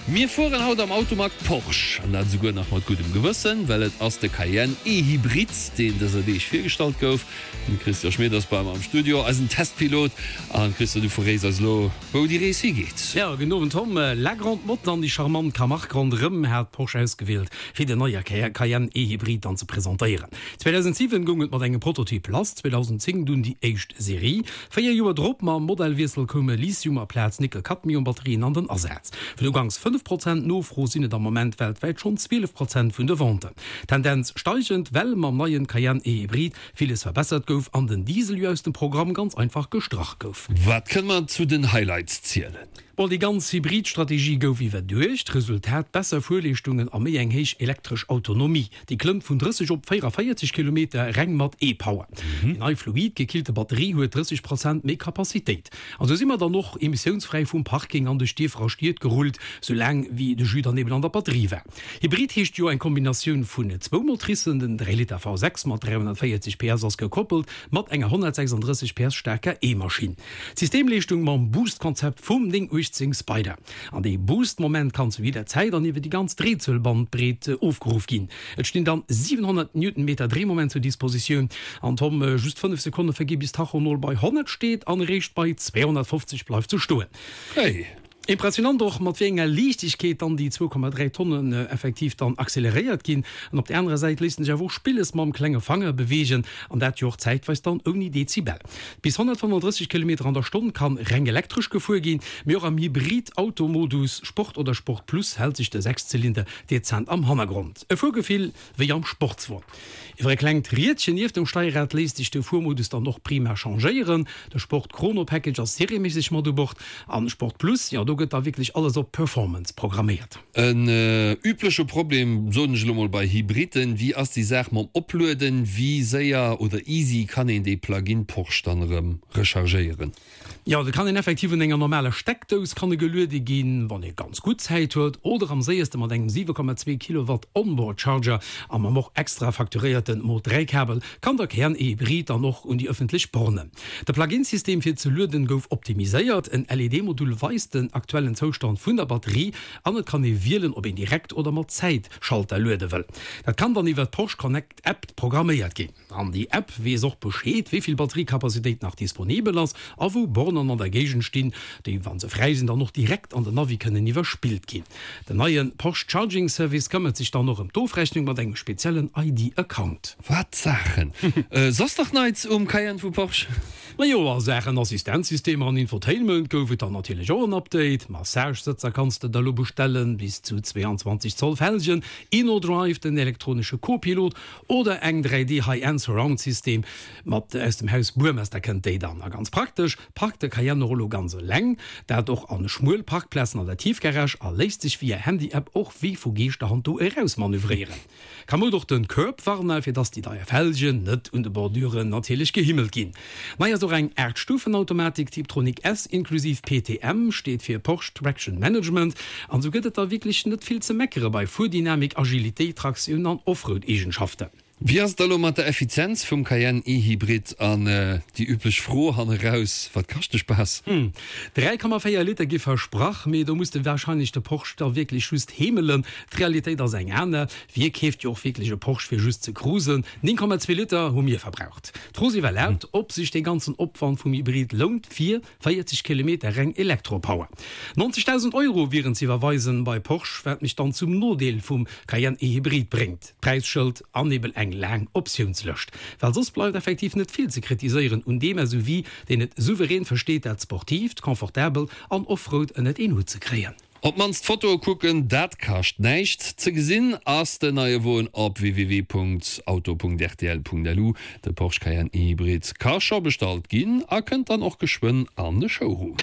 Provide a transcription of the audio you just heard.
Mir fueren haut am Automag Porsche, an dat esouguer nach mat guddem Gewëssen, well et ass de Cayenne E-Hybrid, deen dëser Deeg virgestallt gouf. Den Christian Schmit ass bei mer am Studio, eisen Testpilot. An Christian, du verréis eis elo, wou déi Rees higeet. Jo, gudden Owend Tom. La Grande Motte an déi charmant Camargue ronderëm hat Porsche ausgewielt, fir den neie Cayenne E-Hybrid dann ze presentéieren. 2007 goung et mat engem Prototyp lass, 2010 dunn déi éischt Serie. 4 Joer drop, mam Modellwiessel, koume Lithium aplaz Nickel-Cadmium-Batterien an den Asaz. Vun uganks 5 Prozent Nofro sinn et am Moment weltwäit schonn 12 Prozent vun de Venten. Tendenz steigend, well mam neien Cayenne E-Hybrid villes verbessert gouf an den Diesel jo aus dem Programm ganz einfach gestrach gouf. Wat kënne mer zu den Highlights zielen? Bon, déi ganz Hybrid-Strategie gouf iwwerduecht. Resultat, besser Fuerleeschtungen a méi eng héich elektresch Autonomie. Déi klëmmt vun 30 op 44 Kilometer reng mat E-Power. Déi nei fluid-gekillte Batterie huet 30 Prozent méi Capacitéit. An sou si mer dann och emissiounsfräi vum Parking an duerch Dierfer a Stied gerullt, sou laang wéi de Jus dann eben an der Batterie war. Hybrid heescht jo eng Kombinatioun vun zwou Motricen, den 3 Liter V6 mat 340 PS ass gekoppelt mat enger 136 PS staarker E-Maschinn. D'Systemleeschtung mam Boost-Konzept vum 918 Spyder. An dee Boost-Moment kann zu jidder Zäit an iwwer déi ganz Drehzuelbandbreet ofgeruff ginn. Et stinn dann 700 Newtonmeter Drehmoment zur Dispositioun. An Tom, just 5 Sekonne vergi bis d'Tachonol bei 100 steet an eréischt bei 250 bleift se stoen. Hey! Impressionant och, mat wéi enger Liichtegkeet dann déi 2,3 Tonnen effektiv dann acceleréiert ginn. An op där anerer Säit léisst en sech awer och spilles mam klenge Fanger beweegen, an dat jo och zäitweis dann ouni Dezibel. Bis 135 Kilometer an der Stonn kann reng elektresch gefuer ginn, mee och am Hybrid-Auto-Modus Sport oder Sport Plus hält sech de Sechszylinder dezent am Hannergrond. E Fuergefill wéi am Sportswon. Iwwer e klengt Riedchen nieft dem Steierrad léisst sech de Fuermodus dann och prima changéieren. De Sport Chrono Package ass serieméisseg mat u Bord an Sport Plus, jo do gëtt da wierklech alles op Performance programméiert. En übleche Problem, soen ech elo mol, bei Hybriden, wéi ass déi Saach mam Oplueden? Wéi séier oder easy kann een dee Plug-in Porsche dann erëm rechargéieren? Jo, de kann een effektiv un enger normaler Steckdous kann e geluede ginn, wann ee ganz gutt Zäit huet, oder am séierste mat engem 7,2 Kilowatt Onboard Charger a mam och extra facturéierten Mod 3 Kabel kann der Cayenne E-Hybrid dann och un déi ëffentlech Bornen. De Plug-in-System fir ze lueden gouf optimiséiert, en LED-Modul weist den aktuellen Zoustand vun der Batterie an et kann ee wielen, ob een direkt oder mat Zäitschalter luede wëll. Dat kann dann iwwer d'Porsche Connect App programméiert ginn. An déi App weess och Bescheed, wéi vill Batteriekapazitéit nach disponibel ass a wou Bornen an der Géigend stinn, déi, wa se fräi sinn, dann och direkt an den Navi kënnen iwwerspillt ginn. Den neie Porsche Charging Service këmmert sech dann och ëm d'Ofrechnung mat engem speziellen ID-Account. Wat Saachen! Soss nach Neits um Cayenne vu Porsche? Majo, a Saachen Assistenzsystemer an Infotainment gouf et dann natierlech och en Update. Massage-Sëtzer kanns de der elo bestellen, bis zu 22 Zoll Felgen, InnoDrive, den elektronesche Co-Pilot oder eng 3D High-End Surround System mat aus dem Haus Burmester kënnt déi dann. A ganz praktesch, parkt de Cayenne och elo ganz eleng, dat och an schmuel Parkplazen an der Tiefgarage a léisst sech via Handy-App och wéi vu Geeschterhand do eraus manövréieren. Kamoud och den Curbwarner, fir dass déi deier Felgen net un de Borduren natierlech gehimmelt ginn. Nei ass och eng 8 Stufen Automatik Tiptronic S inklusiv PTM, steet fir Porsche Traction Management, an sou gëtt et da wierklech net vill ze meckere bei Fuerdynamik, Agilitéit, Traktioun an Offroad-Eegenschaften. Wéi ass et da lo mat der Effizienz vum Cayenne E-Hybrid an déi üblech Fro hanneraus, wat kascht de Spaass? 3,4 Liter gi versprach, mee do muss de warscheinlech de Porsche da wierklech just heemelen. D'Realitéit ass eng aner, Wie keeft jo och wierklech e Porsche fir just ze cruisen? 9,2 Liter hu mir verbraucht. D'Fro ass iwwerlaapt, ob sech dee ganzen Opwand vum Hybrid lount fir 40 Kilometer reng Elektropower. 90.000 Euro wieren ze iwwerweisen bei Porsche, wat mech dann zum Nodeel vum Cayenne E-Hybrid bréngt, d'Präisschëld an eben eng laang Optiounslëscht. Well soss bleift effektiv net vill ze kritiséieren un deem SUV, deen et souverän versteet dat Sportiivt, Confortabelt an Offroad ënnert een Hutt ze kréien. Op d'mannst d'Fotoe kucken, dat kascht näischt. Ze gesinn ass den neie Won op www.auto.rtl.lu. De Porsche Cayenne E-Hybrid ka scho bestallt ginn a kënnt dann och geschwënn an de Showroom.